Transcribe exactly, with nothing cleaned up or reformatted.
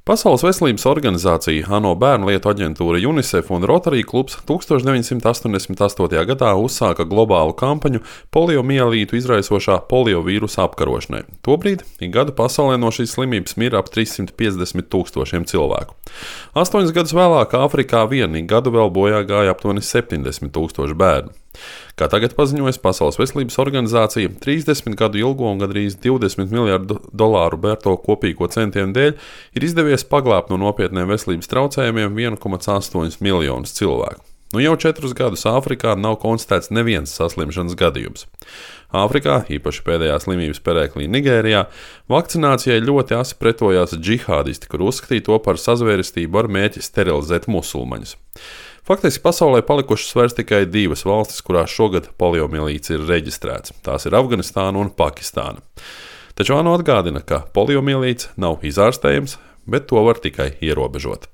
Pasaules veselības organizācija, ANO bērnu lietu aģentūra UNICEF un Rotary klubs tukstovš deviņsimt astoņdesmit astotajā gadā uzsāka globālu kampaņu poliomielītu izraisošā poliovīrusa apkarošanai. Tobrīd ik gadu pasaulē no šīs slimības mira ap trīssimt piecdesmit tūkstošiem cilvēku. Astoņus gadus vēlāk Āfrikā vien ik gadu vēl bojā gāja aptuveni septiņdesmit tūkstoši bērnu. Kā tagad paziņojas Pasaules veselības organizācija, trīsdesmit gadu ilgo un gandrīz divdesmit miljardu dolāru bērto kopīgo centienu dēļ ir izdevies paglābt no nopietniem veselības traucējumiem viens komats astoņi miljonus cilvēku. Nu jau četrus gadus Āfrikā nav konstatēts neviens saslimšanas gadījums. Āfrikā, īpaši pēdējā slimības perēklī Nigērijā, vakcinācijai ļoti asi pretojās džihādisti, kur uzskatīja to par sazvērestību ar mērķi sterilizēt musulmaņus. Faktiski pasaulē palikušas vairs tikai divas valstis, kurās šogad poliomielīts ir reģistrēts. Tās ir Afganistāna un Pakistāna. Taču ANO atgādina, ka poliomielīts nav izārstējams, bet to var tikai ierobežot.